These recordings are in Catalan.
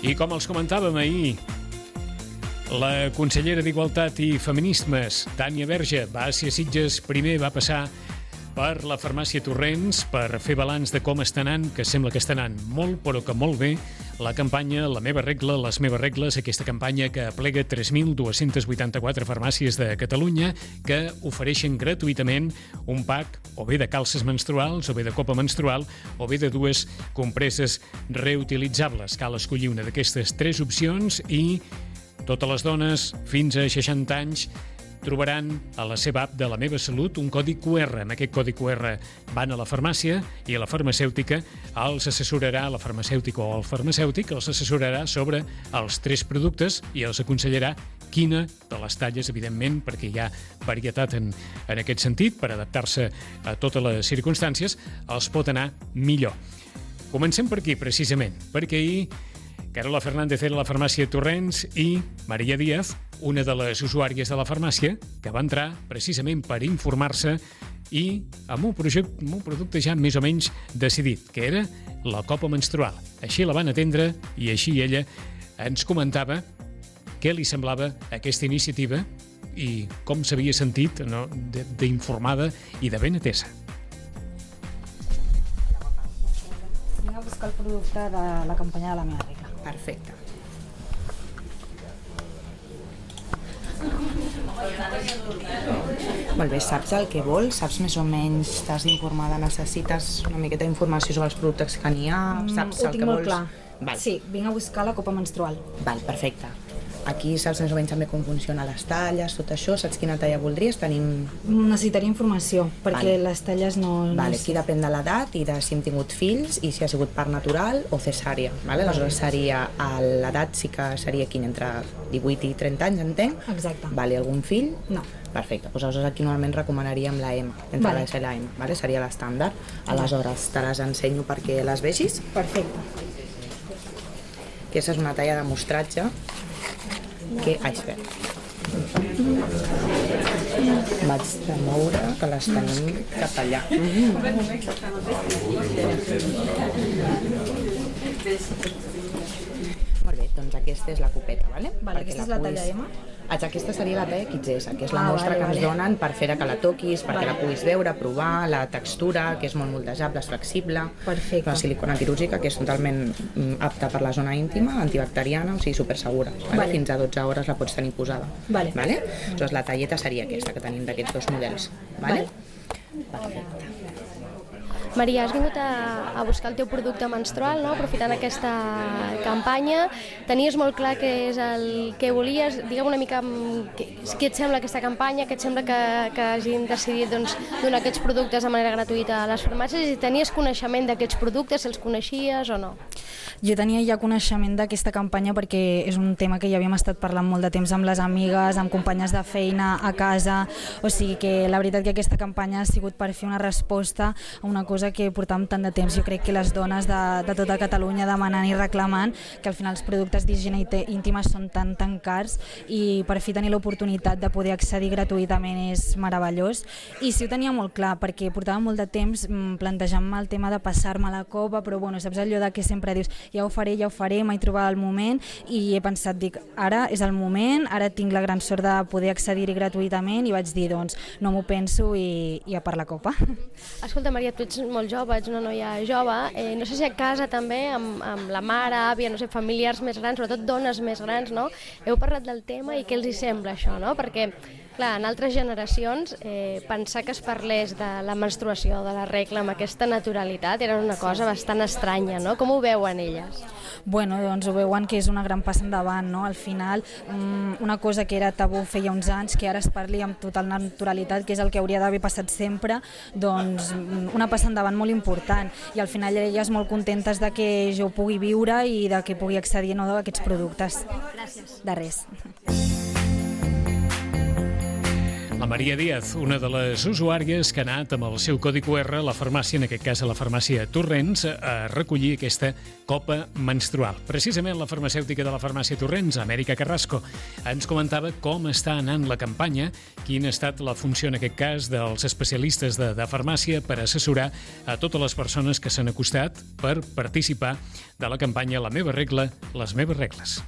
I com els comentàvem ahir, la consellera d'Igualtat i Feminismes, Tània Verge, va ser a Sitges, primer va passar per la farmàcia Torrents per fer balanç de com està anant, que sembla que està anant molt, però que molt bé, la campanya La meva regla, les meves regles, aquesta campanya que aplega 3.284 farmàcies de Catalunya que ofereixen gratuïtament un pack o bé de calces menstruals, o bé de copa menstrual, o bé de dues compreses reutilitzables. Cal escollir una d'aquestes tres opcions i totes les dones fins a 60 anys trobaran a la seva app de La meva salut un codi QR. Amb aquest codi QR van a la farmàcia i a la farmacèutica els assessorarà, la farmacèutica o el farmacèutic els assessorarà sobre els tres productes i els aconsellarà quina de les talles, evidentment, perquè hi ha varietat en aquest sentit, per adaptar-se a totes les circumstàncies, els pot anar millor. Comencem per aquí, precisament, perquè ahir Carola Fernández era a la farmàcia Torrents i Maria Díaz, una de les usuàries de la farmàcia, que va entrar precisament per informar-se i amb un producte ja més o menys decidit, que era la copa menstrual. Així la van atendre i així ella ens comentava què li semblava aquesta iniciativa i com s'havia sentit d'informada i de ben atesa. Vinc a buscar el producte de la campanya de La meva regla. Perfecte. Molt bé, saps el que vols? Saps més o menys, estàs informada, necessites una miqueta d'informació sobre els productes que n'hi ha? Saps el que vols? Ho tinc molt clar. Val. Sí, vinc a buscar la copa menstrual. Val, perfecte. Aquí saps més o menys també com funcionen les talles, tot això, saps quina talla voldries? Necessitaria informació, perquè les talles no... Vale, aquí depèn de l'edat i de si hem tingut fills i si ha sigut part natural o cesària. Aleshores seria, l'edat sí que seria aquí entre 18 i 30 anys, entenc? Exacte. Vale, algun fill? No. Perfecte, doncs aleshores aquí normalment recomanaríem la M, entre la S i la M, vale? Seria l'estàndard. Aleshores te les ensenyo perquè les vegis. Perfecte. Aquesta és una talla de mostratge que haig fet. Vaig de moure que les tenim cap allà. Molt bé, doncs aquesta és la copeta, ¿vale? Vale, aquesta és la talla M? Aquesta seria la talla XS, que és la mostra que ens donen per fer que la toquis, perquè la puguis veure, provar, la textura, que és molt moldejable, és flexible. Perfecte. La silicona quirúrgica, que és totalment apta per la zona íntima, antibacteriana, o sigui, supersegura. Vale? Fins a 12 hores la pots tenir posada. Vale. Vale? Doncs la talleta seria aquesta, que tenim d'aquests dos models. Vale? Perfecte. Maria, has vingut a buscar el teu producte menstrual, no? Aprofitant aquesta campanya. Tenies molt clar què és el que volies. Digue'm una mica què et sembla aquesta campanya, què et sembla que hagin decidit donar aquests productes de manera gratuïta a les farmàcies, i tenies coneixement d'aquests productes, si els coneixies o no? Jo tenia ja coneixement d'aquesta campanya perquè és un tema que ja havíem estat parlant molt de temps amb les amigues, amb companyes de feina, a casa, o sigui que la veritat que aquesta campanya ha sigut per fer una resposta a una cosa que portàvem tant de temps. Jo crec que les dones de tota Catalunya demanant i reclamant que al final els productes d'higiene íntima són tan cars, i per fi tenir l'oportunitat de poder accedir gratuïtament és meravellós. I sí, ho tenia molt clar, perquè portava molt de temps plantejant-me el tema de passar-me la copa, però bueno, saps allò de que sempre dius ja ho faré, m'he trobat el moment, i he pensat, ara és el moment, ara tinc la gran sort de poder accedir-hi gratuïtament, i vaig dir, doncs, no m'ho penso i a per la copa. Escolta, Maria, tu ets molt jove, ets una noia jove, no sé si a casa també, amb la mare, àvia, no sé, familiars més grans, sobretot dones més grans, no? Heu parlat del tema i què els hi sembla això, no? Perquè, clar, en altres generacions, pensar que es parlés de la menstruació, de la regla, amb aquesta naturalitat, era una cosa bastant estranya, no? Com ho veuen elles? Bueno, doncs ho veuen que és una gran passa endavant, no? Al final, una cosa que era tabú feia uns anys, que ara es parli amb total naturalitat, que és el que hauria d'haver passat sempre, doncs una passa endavant molt important, i al final elles molt contentes de que jo ho pugui viure i de que pugui accedir a aquests productes. Gràcies. De res. La Maria Díaz, una de les usuàries que ha anat amb el seu codi QR a la farmàcia, en aquest cas a la farmàcia Torrents, a recollir aquesta copa menstrual. Precisament la farmacèutica de la farmàcia Torrents, Amèrica Carrasco, ens comentava com està anant la campanya, quina ha estat la funció, en aquest cas, dels especialistes de farmàcia per assessorar a totes les persones que s'han acostat per participar de la campanya La meva regla, les meves regles.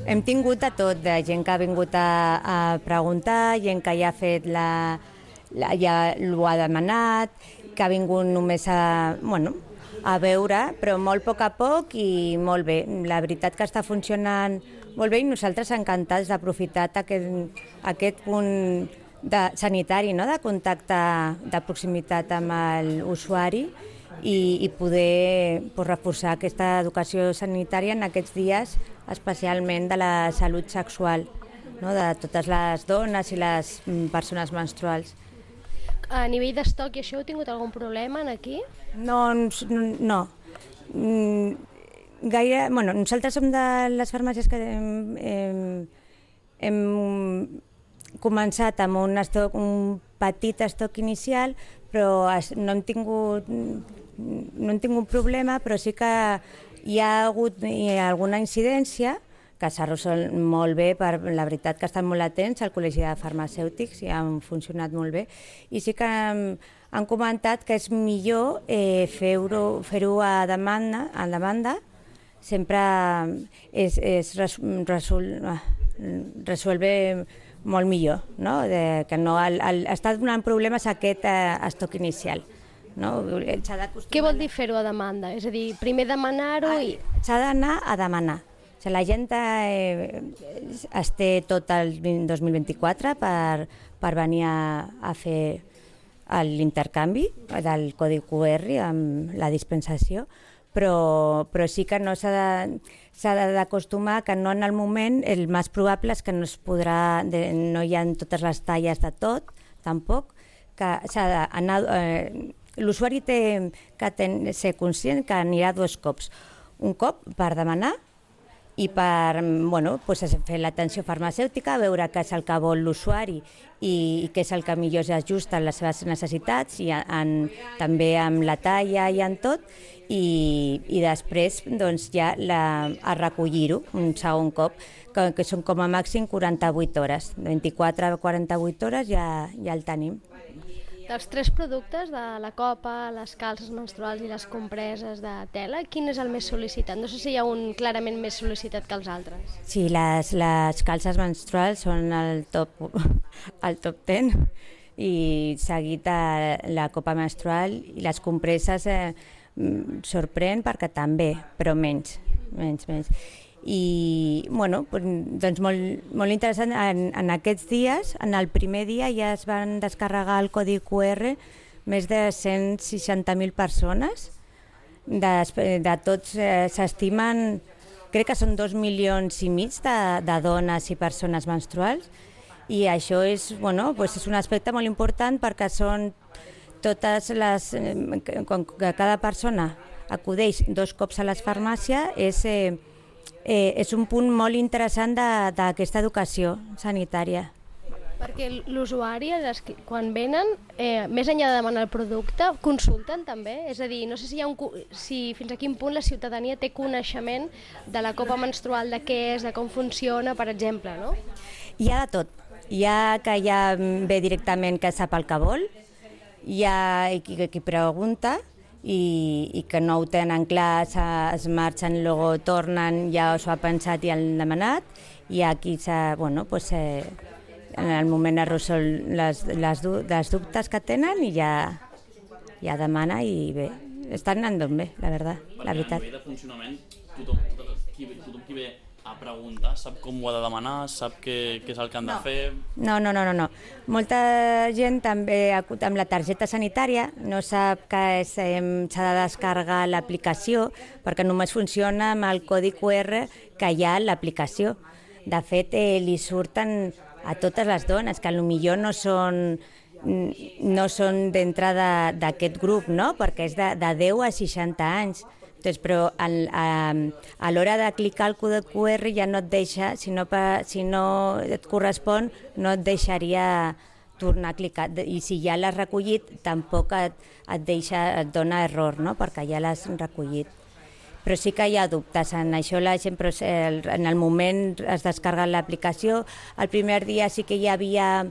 Hem tingut de tot, de gent que ha vingut a preguntar, gent que ja ha fet ja ho ha demanat, que ha vingut només a veure, però molt a poc i molt bé. La veritat que està funcionant molt bé i nosaltres encantats d'aprofitar aquest punt sanitari, no? De contacte de proximitat amb l'usuari i poder reforçar aquesta educació sanitària en aquests dies, especialment de la salut sexual, no? De totes les dones i les persones menstruals. A nivell d'estoc i això, heu tingut algun problema aquí? No. Gaire, nosaltres som de les farmàcies que hem començat amb un petit estoc inicial, però no hem tingut problema, però sí que hi ha hagut alguna incidència que s'ha resolt molt bé, la veritat que estan molt atents al Col·legi de Farmacèutics i han funcionat molt bé, i sí que han comentat que és millor fer-ho a demanda, sempre es resolve molt millor, no? Que no està donant problemes aquest estoc inicial. No? Què vol dir fer-ho a demanda? És a dir, primer demanar-ho i... S'ha d'anar a demanar. La gent es té tot el 2024 per venir a fer l'intercanvi del codi QR amb la dispensació, però sí que no s'ha d'acostumar que no en el moment, el més probable és que no es podrà, no hi ha totes les talles de tot, tampoc, que s'ha d'anar... L'usuari té que ser conscient que anirà 2 cops. Un cop per demanar i per fer l'atenció farmacèutica, veure què és el que vol l'usuari i què és el que millor s'ajusta a les seves necessitats, i també amb la talla i en tot, i després ja a recollir-ho un segon cop, que són com a màxim 48 hores. 24 a 48 hores ja el tenim. Dels 3 productes, de la copa, les calces menstruals i les compreses de tela, quin és el més sol·licitat? No sé si hi ha un clarament més sol·licitat que els altres. Sí, les calces menstruals són el top 10, i seguit la copa menstrual, i les compreses sorprèn perquè també, però menys. I doncs molt interessant, en aquests dies, en el primer dia ja es van descarregar el codi QR més de 160.000 persones. De tots s'estimen, crec que són 2,5 milions de dones i persones menstruals, i això és un aspecte molt important perquè són totes les... Com que cada persona acudeix 2 cops a la farmàcia, és un punt molt interessant d'aquesta educació sanitària. Perquè l'usuari, quan venen, més enllà de demanar el producte, consulten també? És a dir, no sé si fins a quin punt la ciutadania té coneixement de la copa menstrual, de què és, de com funciona, per exemple, no? Hi ha de tot. Hi ha que ja ve directament que sap el que vol, hi ha qui pregunta, i que no ho tenen clar, es marxen, luego tornen, ja s'ho ha pensat i han demanat, i aquí en el moment es resol les dubtes que tenen i ja demana, i bé, estan anant bé, la veritat. A nivell de funcionament, tothom qui ve a preguntar sap com ho ha de demanar, sap què és el que han de fer? No. Molta gent també amb la targeta sanitària no sap que s'ha de descarregar l'aplicació, perquè només funciona amb el codi QR que hi ha a l'aplicació. De fet, li surten a totes les dones, que potser no són d'entrada d'aquest grup, no? Perquè és de 10 a 60 anys, Doncs, però a l'hora de clicar el codi QR ja no et deixa, si no et correspon, no et deixaria tornar a clicar. I si ja l'has recollit, tampoc et dona error, no? Perquè ja l'has recollit. Però sí que hi ha dubtes en això. La gent, en el moment es descarga l'aplicació. El primer dia sí que hi havia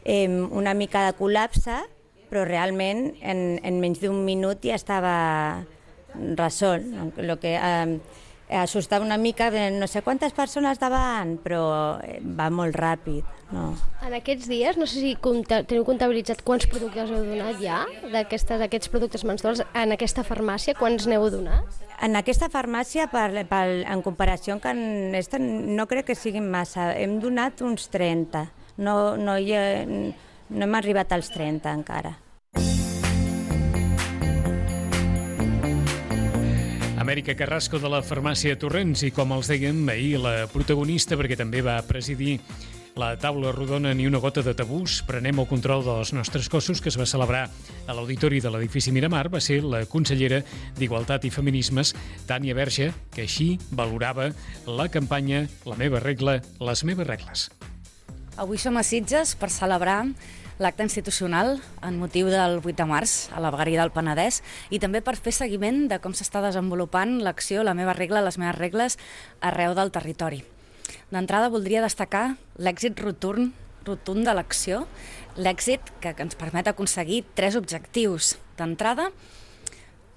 una mica de col·lapse, però realment en menys d'un minut ja estava resolt. Lo que assustava una mica, no sé quantes persones davant, però va molt ràpid. No. En aquests dies, no sé si teniu comptabilitzat quants productes heu donat ja, d'aquests productes menstruals, en aquesta farmàcia, quants n'heu donat? En aquesta farmàcia, en comparació amb aquesta, no crec que siguin massa. Hem donat uns 30. No hem arribat als 30 encara. Amèrica Carrasco de la farmàcia Torrents i, com els dèiem, ahir la protagonista, perquè també va presidir la taula rodona Ni una gota de tabús, prenem el control dels nostres cossos, que es va celebrar a l'auditori de l'edifici Miramar, va ser la consellera d'Igualtat i Feminismes, Tània Verge, que així valorava la campanya La meva regla, les meves regles. Avui som a Sitges per celebrar l'acte institucional en motiu del 8 de març a la vegueria del Penedès i també per fer seguiment de com s'està desenvolupant l'acció La meva regla, les meves regles arreu del territori. D'entrada voldria destacar l'èxit rotund de l'acció, l'èxit que ens permet aconseguir 3 objectius. D'entrada,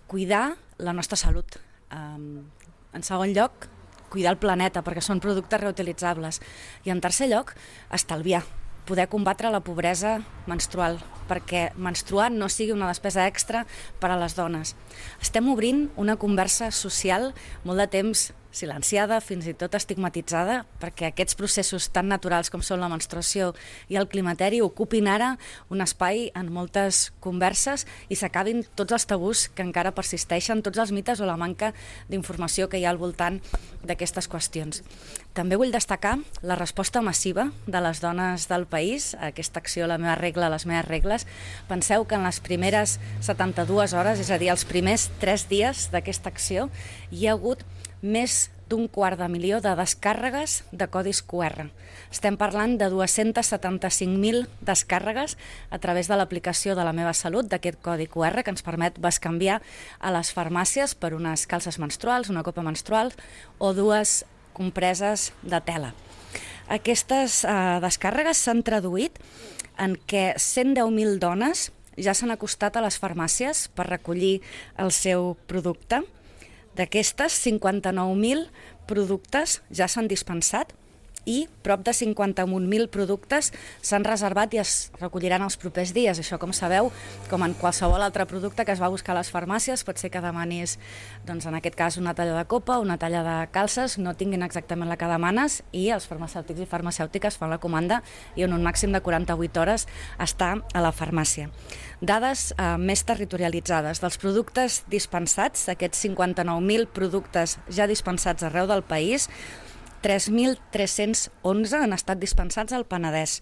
cuidar la nostra salut. En segon lloc, cuidar el planeta perquè són productes reutilitzables. I en tercer lloc, estalviar, poder combatre la pobresa menstrual, perquè menstruar no sigui una despesa extra per a les dones. Estem obrint una conversa social molt de temps silenciada, fins i tot estigmatitzada, perquè aquests processos tan naturals com són la menstruació i el climateri ocupin ara un espai en moltes converses i s'acabin tots els tabús que encara persisteixen, tots els mites o la manca d'informació que hi ha al voltant d'aquestes qüestions. També vull destacar la resposta massiva de les dones del país a aquesta acció La meva regla, les meves regles. Penseu que en les primeres 72 hores, és a dir, els primers 3 dies d'aquesta acció, hi ha hagut més d'250.000 de descàrregues de codis QR. Estem parlant de 275.000 descàrregues a través de l'aplicació de La meva salut, d'aquest codi QR que ens permet bescanviar a les farmàcies per unes calces menstruals, una copa menstrual o 2 compreses de tela. Aquestes descàrregues s'han traduït en què 110.000 dones ja s'han acostat a les farmàcies per recollir el seu producte. D'aquestes, 59.000 productes ja s'han dispensat i prop de 51.000 productes s'han reservat i es recolliran els propers dies. Això, com sabeu, com en qualsevol altre producte que es va buscar a les farmàcies, pot ser que demanis, doncs, en aquest cas, una talla de copa, una talla de calces, no tinguin exactament la que demanes i els farmacèutics i farmacèutiques fan la comanda i en un màxim de 48 hores està a la farmàcia. Dades més territorialitzades. Dels productes dispensats, aquests 59.000 productes ja dispensats arreu del país, 3.311 han estat dispensats al Penedès,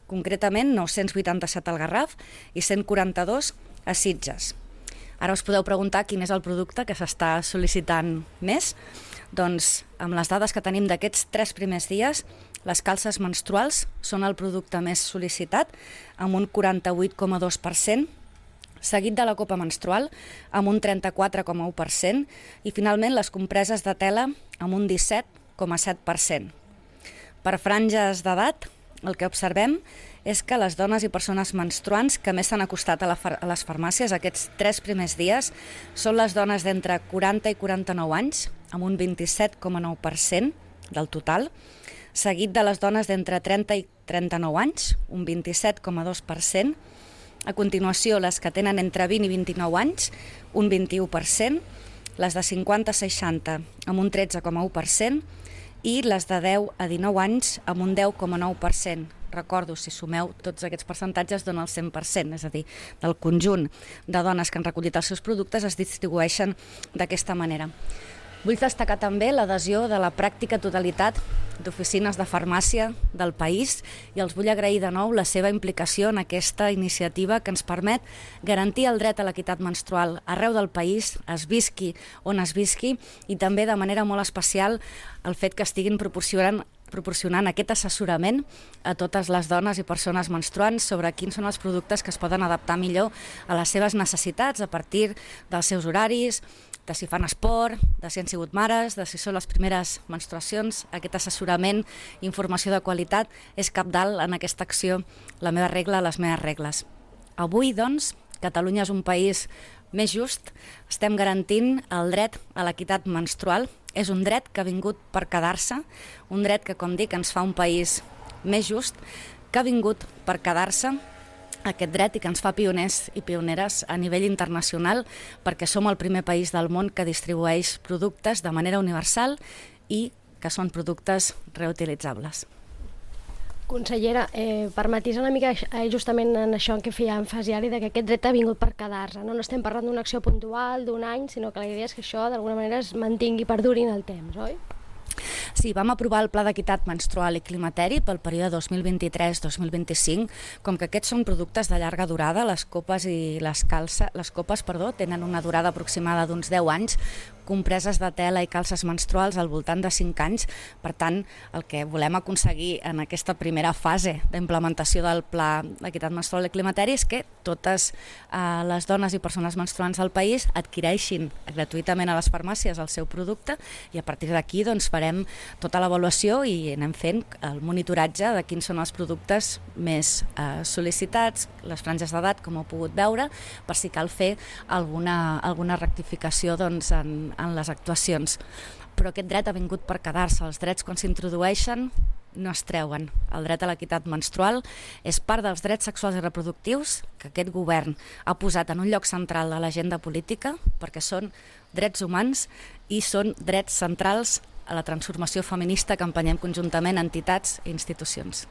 concretament 987 al Garraf i 142 a Sitges. Ara us podeu preguntar quin és el producte que s'està sol·licitant més. Doncs amb les dades que tenim d'aquests 3 primers dies, les calces menstruals són el producte més sol·licitat, amb un 48,2%, seguit de la copa menstrual, amb un 34,1%, i finalment les compreses de tela, amb un 17,7%. Per franges d'edat, el que observem és que les dones i persones menstruants que més s'han acostat a les farmàcies aquests 3 primers dies són les dones d'entre 40 i 49 anys, amb un 27,9% del total, seguit de les dones d'entre 30 i 39 anys, un 27,2%, a continuació les que tenen entre 20 i 29 anys, un 21%, les de 50 a 60 amb un 13,1% i les de 10 a 19 anys amb un 10,9%. Recordo, si sumeu tots aquests percentatges dona el 100%, és a dir, del conjunt de dones que han recollit els seus productes es distribueixen d'aquesta manera. Vull destacar també l'adhesió de la pràctica totalitat d'oficines de farmàcia del país i els vull agrair de nou la seva implicació en aquesta iniciativa que ens permet garantir el dret a l'equitat menstrual arreu del país, es visqui on es visqui, i també de manera molt especial el fet que estiguin proporcionant aquest assessorament a totes les dones i persones menstruants sobre quins són els productes que es poden adaptar millor a les seves necessitats a partir dels seus horaris, de si fan esport, de si han sigut mares, de si són les primeres menstruacions. Aquest assessorament i informació de qualitat és cabdal en aquesta acció La meva regla, les meves regles. Avui, doncs, Catalunya és un país més just, estem garantint el dret a l'equitat menstrual. És un dret que ha vingut per quedar-se, un dret que, com dic, ens fa un país més just, que ha vingut per quedar-se aquest dret i que ens fa pioners i pioneres a nivell internacional, perquè som el primer país del món que distribueix productes de manera universal i que són productes reutilitzables. Consellera, per matisar una mica justament en això en què feia èmfasi ara, que aquest dret ha vingut per quedar-se. No estem parlant d'una acció puntual, d'un any, sinó que la idea és que això d'alguna manera es mantingui i perduri en el temps, oi? Sí, vam aprovar el Pla d'Equitat Menstrual i Climateri pel període 2023-2025. Com que aquests són productes de llarga durada, les copes tenen una durada aproximada d'uns 10 anys, compreses de tela i calces menstruals al voltant de 5 anys. Per tant, el que volem aconseguir en aquesta primera fase d'implementació del Pla d'Equitat Menstrual i Climateri és que totes les dones i persones menstruants del país adquireixin gratuïtament a les farmàcies el seu producte, i a partir d'aquí doncs, farem tota l'avaluació i anem fent el monitoratge de quins són els productes més sol·licitats, les franges d'edat, com heu pogut veure, per si cal fer alguna rectificació doncs, en les actuacions. Però aquest dret ha vingut per quedar-se. Els drets, quan s'introdueixen, no es treuen. El dret a l'equitat menstrual és part dels drets sexuals i reproductius que aquest govern ha posat en un lloc central de l'agenda política, perquè són drets humans i són drets centrals a la transformació feminista que empenyem conjuntament entitats i institucions.